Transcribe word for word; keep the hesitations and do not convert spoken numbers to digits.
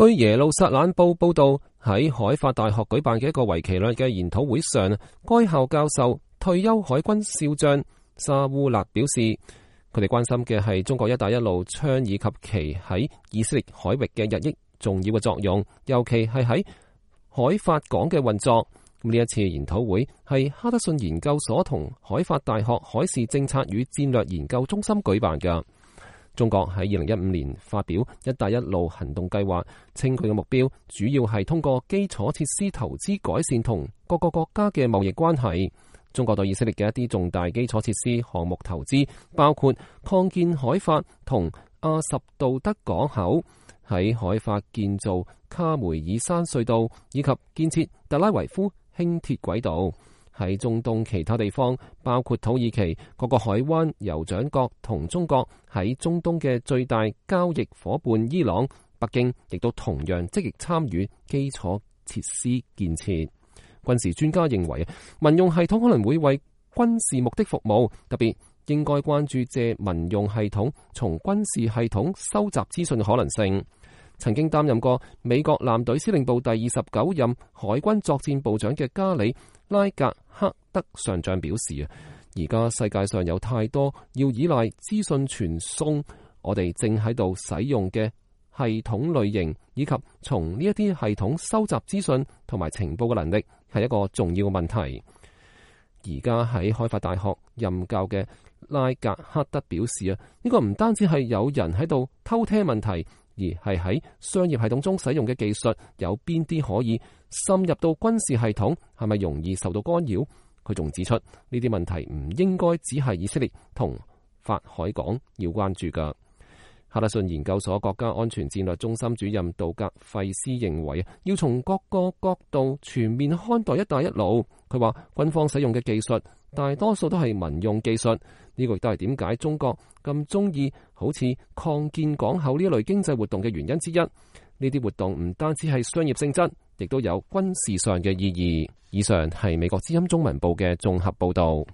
據耶路撒冷報報道，喺海法大學舉辦嘅一個為期兩日嘅研討會上，該校教授退休海軍少將沙烏勒表示，佢哋關心嘅係中國一帶一路倡議及其喺以色列海域嘅日益重要嘅作用，尤其係喺海法港嘅運作。呢一次研討會係哈德遜研究所同海法大學海事政策與戰略研究中心舉辦嘅。中國喺二零一五年發表一帶一路行動計劃，稱佢嘅目標主要係通過基礎設施投資改善同各個國家嘅貿易關係。中國對以色列嘅一啲重大基礎設施項目投資，包括擴建海法同阿什杜德港口，喺海法建造卡梅爾山隧道，以及建設特拉維夫輕鐵軌道。喺中東其他地方，包括土耳其、各個海灣、酋長國同中國喺中東嘅最大交易夥伴伊朗、北京亦都同樣積極參與基礎設施建設。軍事專家認為，民用系統可能會為軍事目的服務，特別應該關注借民用系統從軍事系統收集資訊嘅可能性。曾經擔任過美國艦隊司令部第二十九任海軍作戰部長嘅加里拉格克德上將表示啊，而家世界上有太多要依賴資訊傳送，我哋正喺度使用嘅系統類型以及從呢一啲系統收集資訊同埋情報嘅能力係一個重要嘅問題。而家喺海法大學任教嘅拉格克德表示啊，呢個唔單止係有人喺度偷聽問題，而係喺商業系統中使用嘅技術有邊啲可以滲入到軍事系統，係咪容易受到干擾？佢仲指出呢啲問題唔應該只係以色列同法海港要關注㗎。哈德遜研究所國家安全戰略中心主任杜格費斯認為，要從各個角度全面看待一帶一路。佢話軍方使用嘅技術大多數都係民用技術，呢個亦都係點解中國咁中意好似擴建港口呢一類經濟活動嘅原因之一。呢啲活動唔單止係商業性質，亦都有軍事上嘅意義。以上係美國之音中文部嘅綜合報道。